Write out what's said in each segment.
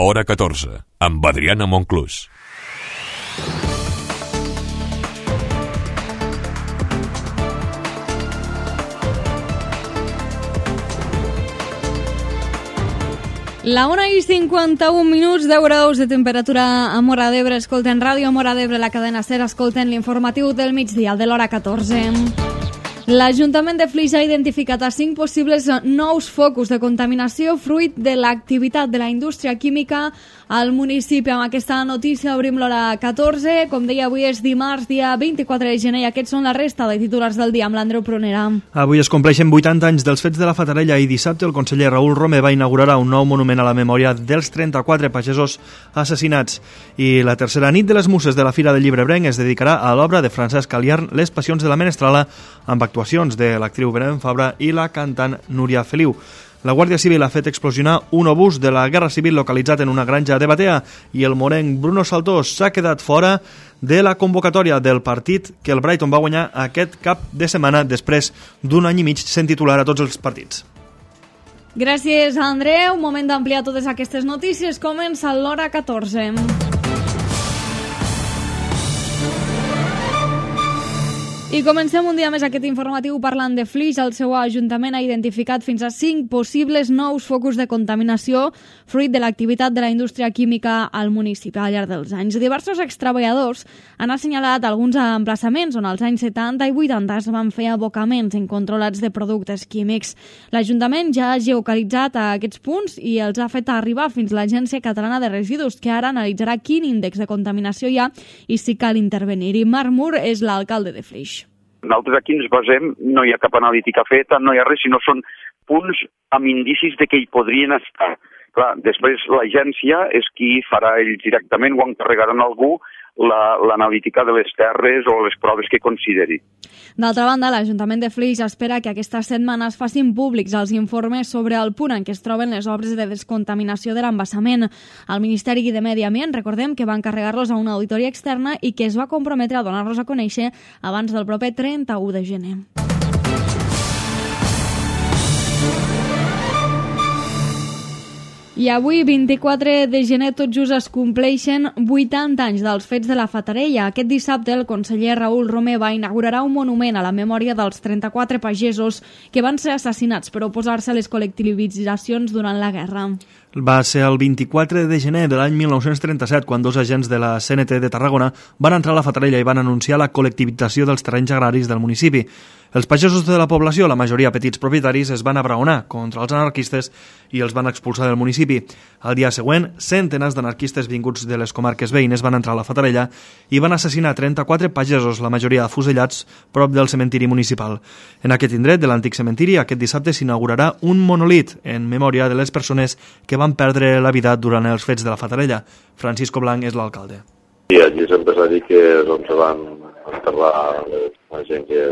L'Hora 14, amb Adriana Monclús. La 1:51, 10 graus de temperatura a Móra d'Ebre. Escolten Ràdio Móra d'Ebre, la cadena SER. Escolten l'informatiu del migdia, de l'Hora 14. L'Ajuntament de Flix ha identificat a 5 possibles nous focus de contaminació fruit de l'activitat de la indústria química al municipi. Amb aquesta notícia obrim l'Hora 14. Com deia, avui és dimarts, dia 24 de gener, i aquests són la resta de titulars del dia amb l'Andreu Prunera. Avui es compleixen 80 anys dels fets de la Fatarella i dissabte el conseller Raül Romeva inaugurarà un nou monument a la memòria dels 34 pagesos assassinats. I la tercera nit de les Muses de la Fira del Llibre Ebrenc es dedicarà a l'obra de Francesc Caliarn, Les passions de la Menestrala, amb actuacions de l'actriu Belén Fabra i la cantant Núria Feliu. La Guàrdia Civil ha fet explosionar un obús de la Guerra Civil localitzat en una granja de Batea i el morenc Bruno Saltós s'ha quedat fora de la convocatòria del partit que el Brighton va guanyar aquest cap de setmana després d'un any i mig sent titular a tots els partits. Gràcies, Andreu. Moment d'ampliar totes aquestes notícies. Comença l'Hora 14. I comencem un dia més aquest informatiu parlant de Flix. El seu ajuntament ha identificat fins a 5 possibles nous focus de contaminació fruit de l'activitat de la indústria química al municipi al llarg dels anys. Diversos extreballadors han assenyalat alguns emplaçaments on als anys 70 i 80 es van fer abocaments incontrolats de productes químics. L'Ajuntament ja ha geocalitzat a aquests punts i els ha fet arribar fins a l'Agència Catalana de Residus, que ara analitzarà quin índex de contaminació hi ha i si cal intervenir. I Marc Mur és l'alcalde de Flix. Nosaltres aquí ens basem, no hi ha cap analítica feta, no hi ha res, sinó són punts amb indicis de que hi podrien estar. Clar, després l'agència és qui farà ells directament o encarregaran a algú l'analítica de les terres o les proves que consideri. D'altra banda, l'Ajuntament de Flix espera que aquesta setmana es facin públics els informes sobre el punt en què es troben les obres de descontaminació de l'embassament. El Ministeri de Medi Ambient, recordem que va encarregar-los a una auditoria externa i que es va comprometre a donar-los a conèixer abans del proper 31 de gener. I avui, 24 de gener, tot just es compleixen 80 anys dels fets de la Fatarella. Aquest dissabte, el conseller Raül Romeva inaugurarà un monument a la memòria dels 34 pagesos que van ser assassinats per oposar-se a les col·lectivitzacions durant la guerra. Va ser el 24 de gener de l'any 1937 quan dos agents de la CNT de Tarragona van entrar a la Fatarella i van anunciar la col·lectivització dels terrenys agraris del municipi. Els pagesos de la població, la majoria petits propietaris, es van abraonar contra els anarquistes i els van expulsar del municipi. Al dia següent, centenars d'anarquistes vinguts de les comarques veïnes van entrar a la Fatarella i van assassinar 34 pagesos, la majoria afusellats, prop del cementiri municipal. En aquest indret de l'antic cementiri, aquest dissabte s'inaugurarà un monolit en memòria de les persones que van perdre la vida durant els fets de la Fatarella. Francisco Blanc és l'alcalde. I allí sempre s'ha dit que se van enterrar la gent que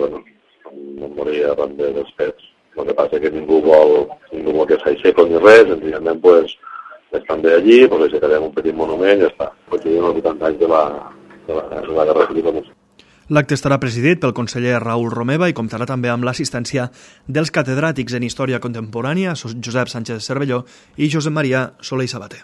no moria arran dels fets. El que passa que ningú vol que s'aixeco ni res, senzillament estan bé allí, aixecarem un petit monument i ja està. Coincidint els 80 anys de la Guerra Civil. L'acte estarà presidit pel conseller Raül Romeva i comptarà també amb l'assistència dels catedràtics en Història Contemporània, Josep Sánchez Cervelló i Josep Maria Soler i Sabater.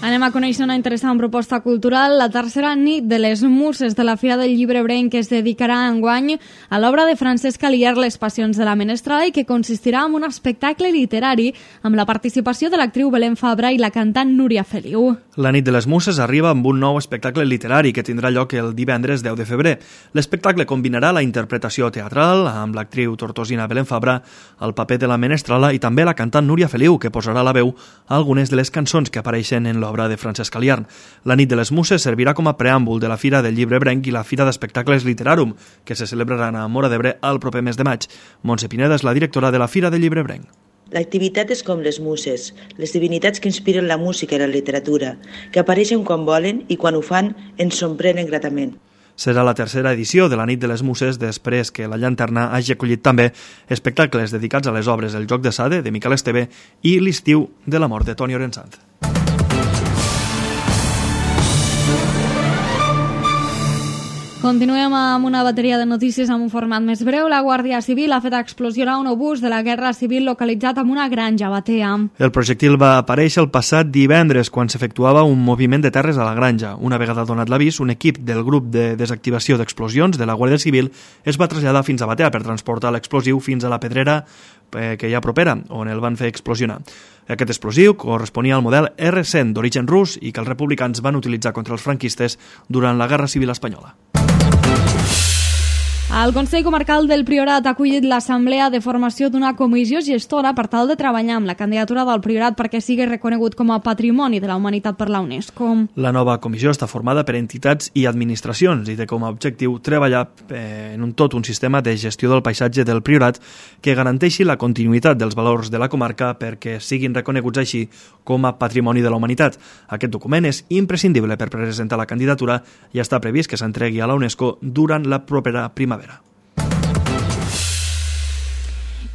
Anem a conèixer una interessant proposta cultural. La tercera nit de les Muses de la Fira del Llibre Ebrenc es dedicarà enguany a l'obra de Francesc Caliarn, Les passions de la Menestrala, i que consistirà en un espectacle literari amb la participació de l'actriu Belén Fabra i la cantant Núria Feliu. La nit de les Muses arriba amb un nou espectacle literari que tindrà lloc el divendres 10 de febrer. L'espectacle combinarà la interpretació teatral amb l'actriu tortosina Belén Fabra, el paper de la Menestrala i també la cantant Núria Feliu, que posarà la veu a algunes de les cançons que apareixen en l'obra de Francesc Caliarn. La nit de les Muses servirà com a preàmbul de la Fira del Llibre Ebrenc i la Fira d'Espectacles Literarum, que se celebraran a Móra d'Ebre el proper mes de maig. Montse Pineda és la directora de la Fira del Llibre Ebrenc. L'activitat és com les muses, les divinitats que inspiren la música i la literatura, que apareixen quan volen i quan ho fan ens sorprenen gratament. Serà la tercera edició de la nit de les Muses després que la Llanterna hagi acollit també espectacles dedicats a les obres El joc de Sade, de Miquel Esteve, i L'estiu de l'amor, de Toni Orensanz. Continuem amb una bateria de notícies amb un format més breu. La Guàrdia Civil ha fet explosionar un obús de la Guerra Civil localitzat en una granja a Batea. El projectil va aparèixer el passat divendres quan s'efectuava un moviment de terres a la granja. Una vegada donat l'avís, un equip del grup de desactivació d'explosions de la Guàrdia Civil es va traslladar fins a Batea per transportar l'explosiu fins a la pedrera que hi ha propera, on el van fer explosionar. Aquest explosiu corresponia al model R100 d'origen rus i que els republicans van utilitzar contra els franquistes durant la Guerra Civil Espanyola. El Consell Comarcal del Priorat ha acollit l'assemblea de formació d'una comissió gestora per tal de treballar amb la candidatura del Priorat perquè sigui reconegut com a Patrimoni de la Humanitat per la UNESCO. La nova comissió està formada per entitats i administracions i té com a objectiu treballar en tot un sistema de gestió del paisatge del Priorat que garanteixi la continuïtat dels valors de la comarca perquè siguin reconeguts així com a Patrimoni de la Humanitat. Aquest document és imprescindible per presentar la candidatura i està previst que s'entregui a la UNESCO durant la propera primavera.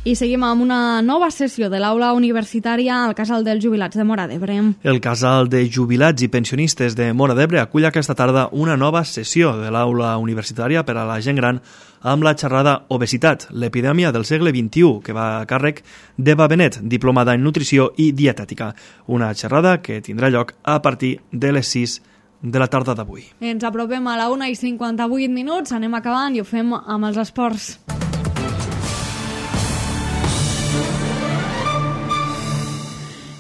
I seguim amb una nova sessió de l'aula universitària al Casal dels Jubilats de Móra d'Ebre. El Casal de Jubilats i Pensionistes de Móra d'Ebre acull aquesta tarda una nova sessió de l'aula universitària per a la gent gran amb la xerrada Obesitat, l'epidèmia del segle XXI, que va a càrrec d'Eva Benet, diplomada en Nutrició i Dietètica. Una xerrada que tindrà lloc a partir de les 6 de la tarda d'avui. Ens apropem a la 1:58, anem acabant i ho fem amb els esports.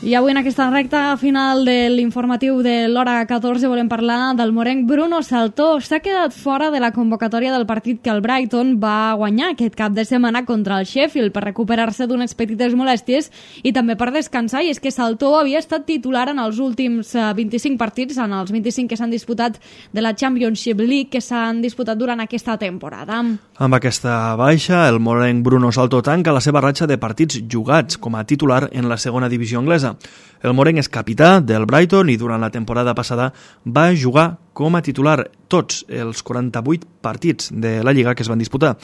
I avui en aquesta recta final de l'informatiu de l'hora 14 volem parlar del morenc Bruno Saltó. S'ha quedat fora de la convocatòria del partit que el Brighton va guanyar aquest cap de setmana contra el Sheffield per recuperar-se d'unes petites molèsties i també per descansar, i és que Saltó havia estat titular en els últims 25 partits, en els 25 que s'han disputat de la Championship League que s'han disputat durant aquesta temporada. Amb aquesta baixa, el morenc Bruno Saltó tanca la seva ratxa de partits jugats com a titular en la segona divisió anglesa. El morenc és capità del Brighton i durant la temporada passada va jugar com a titular tots els 48 partits de la Lliga que es van disputar.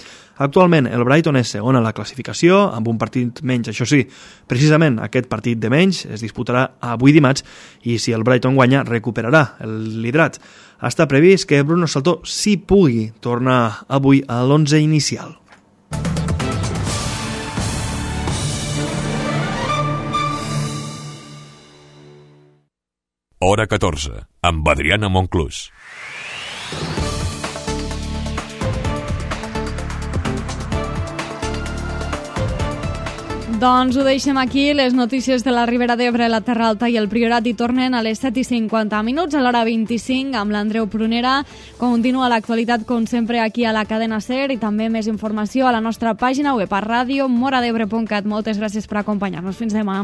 Actualment el Brighton és segon a la classificació, amb un partit menys, això sí. Precisament aquest partit de menys es disputarà avui dimarts i si el Brighton guanya recuperarà el liderat. Està previst que Bruno Saltó sí pugui tornar avui a l'11 inicial. Hora 14, amb Adriana Monclús. Doncs ho deixem aquí. Les notícies de la Ribera d'Ebre, la Terra Alta i el Priorat hi tornen a les 7:50, a l'hora 25, amb l'Andreu Prunera. Continua l'actualitat, com sempre, aquí a la cadena SER i també més informació a la nostra pàgina web a ràdio moradebre.cat. Moltes gràcies per acompanyar-nos. Fins demà.